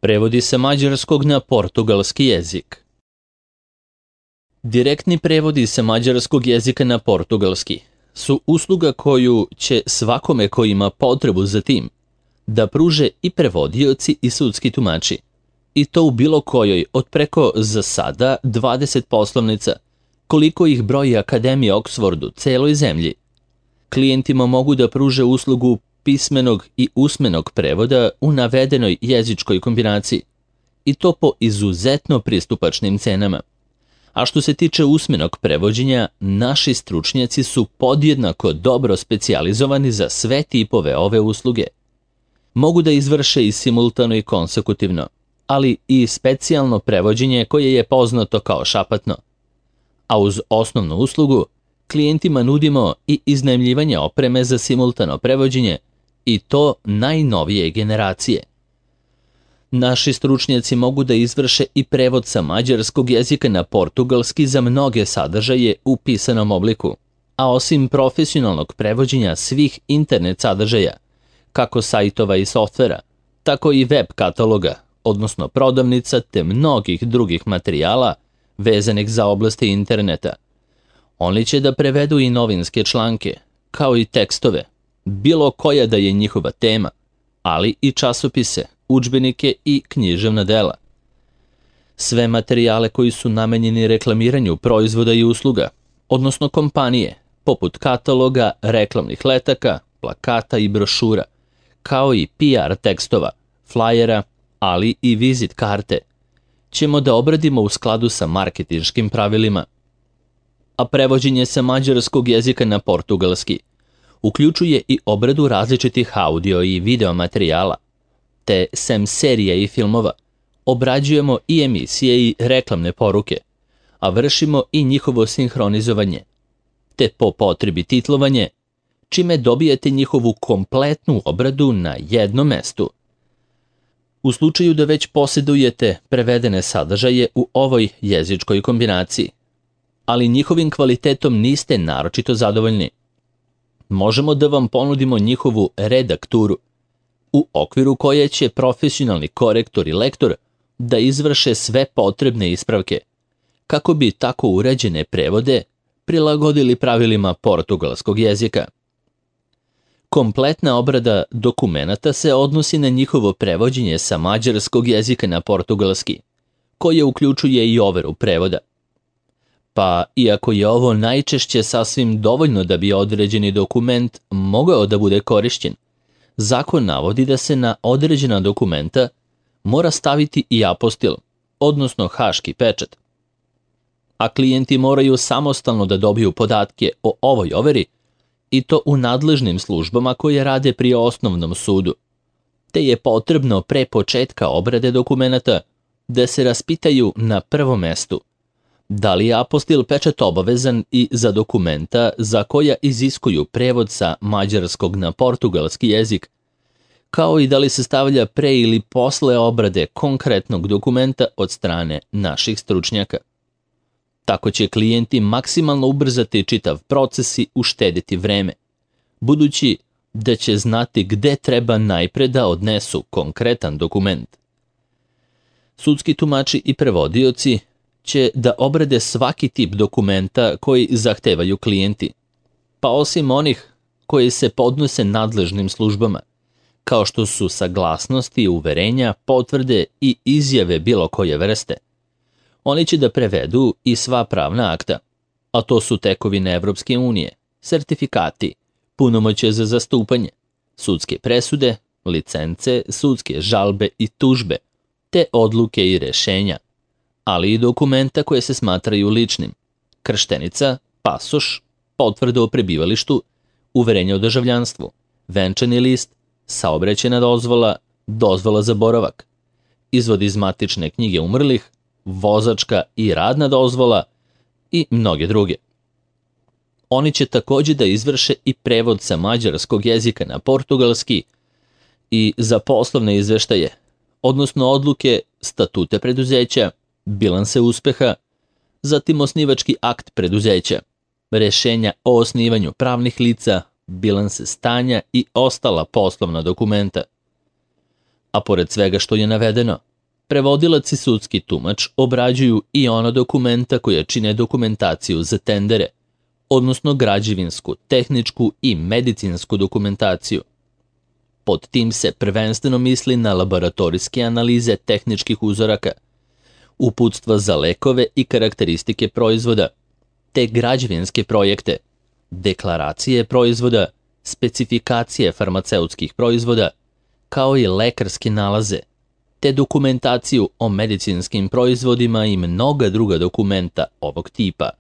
Prevodi sa mađarskog na portugalski jezik. Direktni prevodi sa mađarskog jezika na portugalski su usluga koju će svakome ko ima potrebu za tim da pruže i prevodioci i sudski tumači, i to u bilo kojoj od preko za sada 20 poslovnica, koliko ih broji Akademija Oksfordu celoj zemlji. Klijentima mogu da pruže uslugu pismenog i usmenog prevoda u navedenoj jezičkoj kombinaciji, i to po izuzetno pristupačnim cenama. A što se tiče usmenog prevođenja, naši stručnjaci su podjednako dobro specijalizovani za sve tipove ove usluge. Mogu da izvrše i simultano i konsekutivno, ali i specijalno prevođenje koje je poznato kao šapatno. A uz osnovnu uslugu, klijentima nudimo i iznajmljivanje opreme za simultano prevođenje, i to najnovije generacije. Naši stručnjaci mogu da izvrše i prevod sa mađarskog jezika na portugalski za mnoge sadržaje u pisanom obliku, a osim profesionalnog prevođenja svih internet sadržaja, kako sajtova i softvera, tako i web kataloga, odnosno prodavnica te mnogih drugih materijala vezanih za oblasti interneta. Oni će da prevedu i novinske članke, kao i tekstove, bilo koja da je njihova tema, ali i časopise, udžbenike i književna dela. Sve materijale koji su namenjeni reklamiranju proizvoda i usluga, odnosno kompanije, poput kataloga, reklamnih letaka, plakata i brošura, kao i PR tekstova, flajera, ali i vizit karte, ćemo da obradimo u skladu sa marketinškim pravilima. A prevođenje sa mađarskog jezika na portugalski uključuje i obradu različitih audio i video materijala, te sem serija i filmova obrađujemo i emisije i reklamne poruke, a vršimo i njihovo sinhronizovanje, te po potrebi titlovanje, čime dobijete njihovu kompletnu obradu na jednom mestu. U slučaju da već posjedujete prevedene sadržaje u ovoj jezičkoj kombinaciji, ali njihovim kvalitetom niste naročito zadovoljni, možemo da vam ponudimo njihovu redakturu, u okviru koje će profesionalni korektor i lektor da izvrše sve potrebne ispravke, kako bi tako uređene prevode prilagodili pravilima portugalskog jezika. Kompletna obrada dokumenata se odnosi na njihovo prevođenje sa mađarskog jezika na portugalski, koje uključuje i overu prevoda. Pa, iako je ovo najčešće sasvim dovoljno da bi određeni dokument mogao da bude korišćen, zakon navodi da se na određena dokumenta mora staviti i apostil, odnosno haški pečat. A klijenti moraju samostalno da dobiju podatke o ovoj overi, i to u nadležnim službama koje rade pri osnovnom sudu, te je potrebno pre početka obrade dokumenata da se raspitaju na prvom mestu da li je apostil pečat obavezan i za dokumenta za koja iziskuju prevod sa mađarskog na portugalski jezik, kao i da li se stavlja pre ili posle obrade konkretnog dokumenta od strane naših stručnjaka. Tako će klijenti maksimalno ubrzati čitav proces i uštediti vreme, budući da će znati gde treba najpre da odnesu konkretan dokument. Sudski tumači i prevodioci će da obrade svaki tip dokumenta koji zahtevaju klijenti, pa osim onih koji se podnose nadležnim službama, kao što su saglasnosti, uverenja, potvrde i izjave bilo koje vrste. Oni će da prevedu i sva pravna akta, a to su tekovine Evropske unije, sertifikati, punomoćje za zastupanje, sudske presude, licence, sudske žalbe i tužbe, te odluke i rešenja, ali i dokumenta koje se smatraju ličnim, krštenica, pasoš, potvrda o prebivalištu, uverenje o državljanstvu, venčani list, saobraćajna dozvola, dozvola za boravak, izvod iz matične knjige umrlih, vozačka i radna dozvola i mnoge druge. Oni će također da izvrše i prevod sa mađarskog jezika na portugalski i za poslovne izveštaje, odnosno odluke, statute preduzeća, bilanse uspeha, zatim osnivački akt preduzeća, rešenja o osnivanju pravnih lica, bilanse stanja i ostala poslovna dokumenta. A pored svega što je navedeno, Prevodilac i sudski tumač obrađuju i ona dokumenta koja čine dokumentaciju za tendere, odnosno građevinsku, tehničku i medicinsku dokumentaciju. Pod tim se prvenstveno misli na laboratorijske analize tehničkih uzoraka, uputstva za lekove i karakteristike proizvoda, te građevinske projekte, deklaracije proizvoda, specifikacije farmaceutskih proizvoda, kao i lekarske nalaze, te dokumentaciju o medicinskim proizvodima i mnoga druga dokumenta ovog tipa.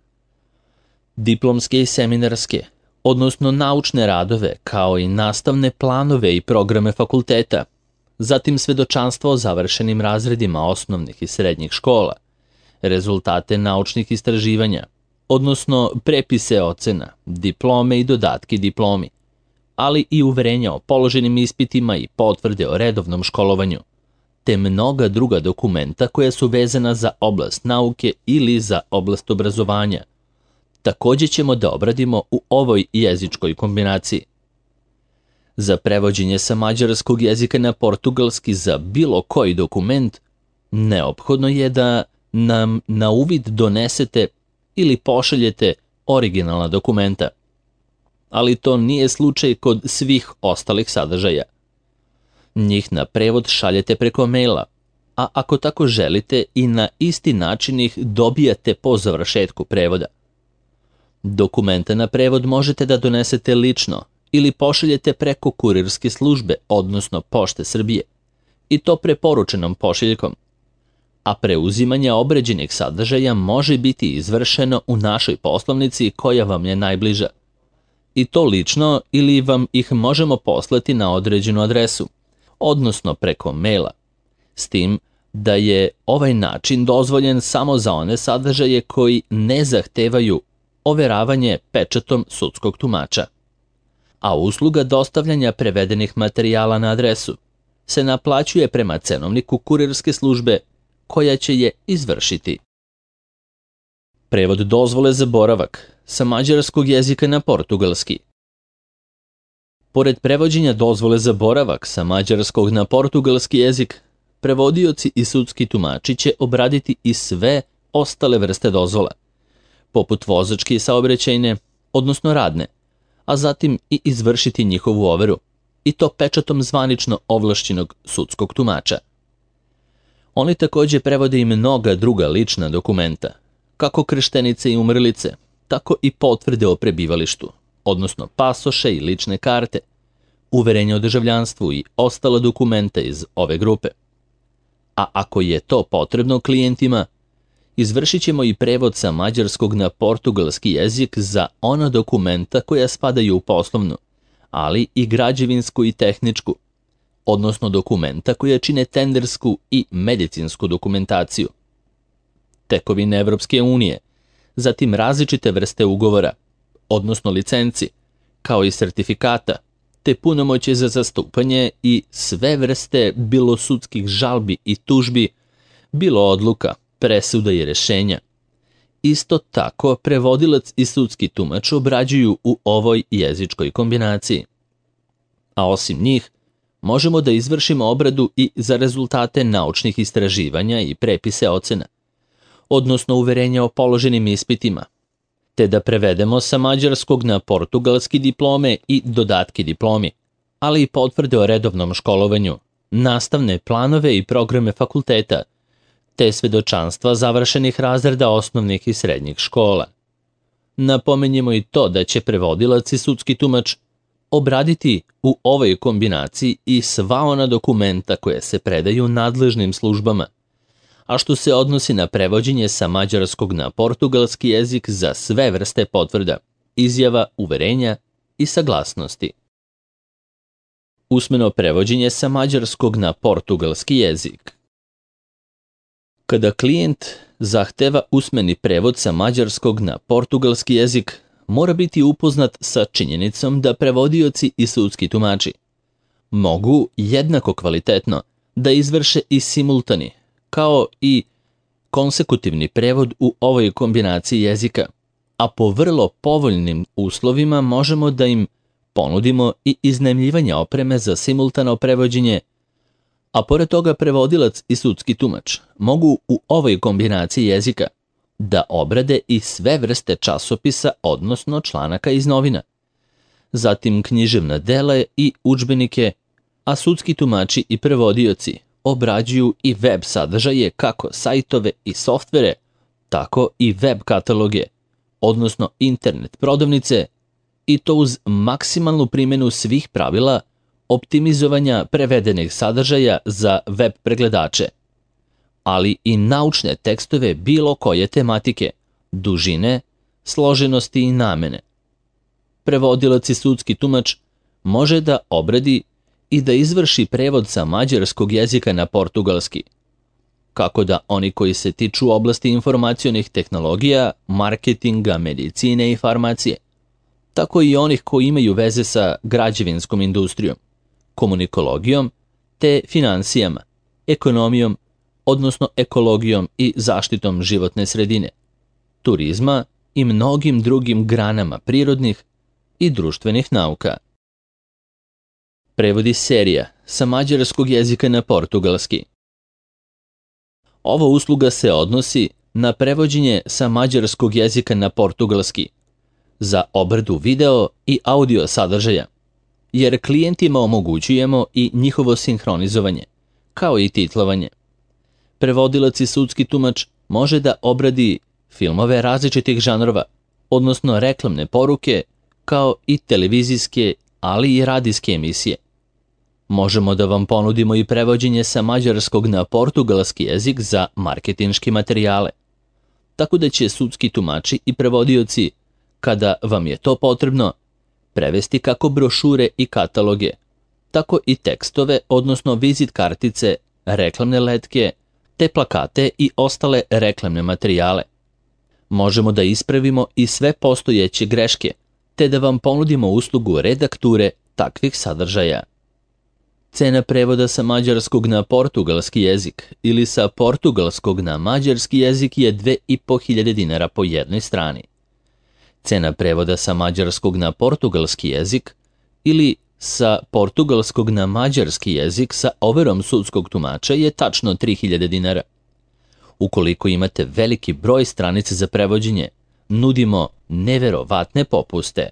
Diplomske i seminarske, odnosno naučne radove, kao i nastavne planove i programe fakulteta, zatim svedočanstvo o završenim razredima osnovnih i srednjih škola, rezultate naučnih istraživanja, odnosno prepise ocena, diplome i dodatki diplomi, ali i uverenja o položenim ispitima i potvrde o redovnom školovanju, te mnoga druga dokumenta koja su vezana za oblast nauke ili za oblast obrazovanja. Takođe ćemo da obradimo u ovoj jezičkoj kombinaciji. Za prevođenje sa mađarskog jezika na portugalski za bilo koji dokument, neophodno je da nam na uvid donesete ili pošaljete originalna dokumenta. Ali to nije slučaj kod svih ostalih sadržaja. Njih na prevod šaljete preko maila, a ako tako želite i na isti način ih dobijate po završetku prevoda. Dokumenta na prevod možete da donesete lično ili pošaljete preko kurirske službe, odnosno Pošte Srbije, i to preporučenom pošiljkom, a preuzimanje obrađenih sadržaja može biti izvršeno u našoj poslovnici koja vam je najbliža. I to lično ili vam ih možemo poslati na određenu adresu, odnosno preko maila, s tim da je ovaj način dozvoljen samo za one sadržaje koji ne zahtevaju overavanje pečatom sudskog tumača. A usluga dostavljanja prevedenih materijala na adresu se naplaćuje prema cenovniku kurirske službe koja će je izvršiti. Prevod dozvole za boravak sa mađarskog jezika na portugalski. Pored prevođenja dozvole za boravak sa mađarskog na portugalski jezik, prevodioci i sudski tumači će obraditi i sve ostale vrste dozvola, poput vozačke i saobraćajne, odnosno radne, a zatim i izvršiti njihovu overu, i to pečatom zvanično ovlašćenog sudskog tumača. Oni takođe prevode i mnoga druga lična dokumenta, kako krštenice i umrlice, tako i potvrde o prebivalištu, odnosno pasoše i lične karte, uverenje o državljanstvu i ostala dokumenta iz ove grupe. A ako je to potrebno klijentima, izvršit ćemo i prevod sa mađarskog na portugalski jezik za ona dokumenta koja spadaju u poslovnu, ali i građevinsku i tehničku, odnosno dokumenta koja čine tendersku i medicinsku dokumentaciju. Tekovine Evropske unije, zatim različite vrste ugovora, odnosno licenci, kao i sertifikata, te punomoćje za zastupanje i sve vrste bilo sudskih žalbi i tužbi, bilo odluka, presuda i rešenja. Isto tako, prevodilac i sudski tumač obrađuju u ovoj jezičkoj kombinaciji. A osim njih, možemo da izvršimo obradu i za rezultate naučnih istraživanja i prepise ocena, odnosno uverenja o položenim ispitima, te da prevedemo sa mađarskog na portugalski diplome i dodatki diplomi, ali i potvrde o redovnom školovanju, nastavne planove i programe fakulteta, te svedočanstva završenih razreda osnovnih i srednjih škola. Napomenjemo i to da će prevodilac i sudski tumač obraditi u ovoj kombinaciji i sva ona dokumenta koje se predaju nadležnim službama, a što se odnosi na prevođenje sa mađarskog na portugalski jezik za sve vrste potvrda, izjava, uverenja i saglasnosti. Usmeno prevođenje sa mađarskog na portugalski jezik. Kada klijent zahteva usmeni prevod sa mađarskog na portugalski jezik, mora biti upoznat sa činjenicom da prevodioci i sudski tumači mogu jednako kvalitetno da izvrše i simultani, kao i konsekutivni prevod u ovoj kombinaciji jezika, a po vrlo povoljnim uslovima možemo da im ponudimo i iznajmljivanje opreme za simultano prevođenje A pored toga prevodilac i sudski tumač mogu u ovoj kombinaciji jezika da obrade i sve vrste časopisa, odnosno članaka iz novina, zatim književna dela i udžbenike, a sudski tumači i prevodioci obrađuju i web sadržaje, kako sajtove i softvere, tako i web kataloge, odnosno internet prodavnice, i to uz maksimalnu primjenu svih pravila optimizovanja prevedenih sadržaja za web pregledače, ali i naučne tekstove bilo koje tematike, dužine, složenosti i namene. Prevodilac i sudski tumač može da obradi i da izvrši prevod sa mađarskog jezika na portugalski, kako da oni koji se tiču oblasti informacionih tehnologija, marketinga, medicine i farmacije, tako i onih koji imaju veze sa građevinskom industrijom, komunikologijom te finansijama, ekonomijom, odnosno ekologijom i zaštitom životne sredine, turizma i mnogim drugim granama prirodnih i društvenih nauka. Prevodi serija sa mađarskog jezika na portugalski. Ova usluga se odnosi na prevođenje sa mađarskog jezika na portugalski, za obradu video i audio sadržaja, jer klijentima omogućujemo i njihovo sinhronizovanje, kao i titlovanje. Prevodilac i sudski tumač može da obradi filmove različitih žanrova, odnosno reklamne poruke, kao i televizijske, ali i radijske emisije. Možemo da vam ponudimo i prevođenje sa mađarskog na portugalski jezik za marketinške materijale, tako da će sudski tumači i prevodioci, kada vam je to potrebno, prevesti kako brošure i kataloge, tako i tekstove, odnosno vizit kartice, reklamne letke, te plakate i ostale reklamne materijale. Možemo da ispravimo i sve postojeće greške, te da vam ponudimo uslugu redakture takvih sadržaja. Cena prevoda sa mađarskog na portugalski jezik ili sa portugalskog na mađarski jezik je 2.500 dinara po jednoj strani. Cena prevoda sa mađarskog na portugalski jezik ili sa portugalskog na mađarski jezik sa overom sudskog tumača je tačno 3.000 dinara. Ukoliko imate veliki broj stranica za prevođenje, nudimo neverovatne popuste.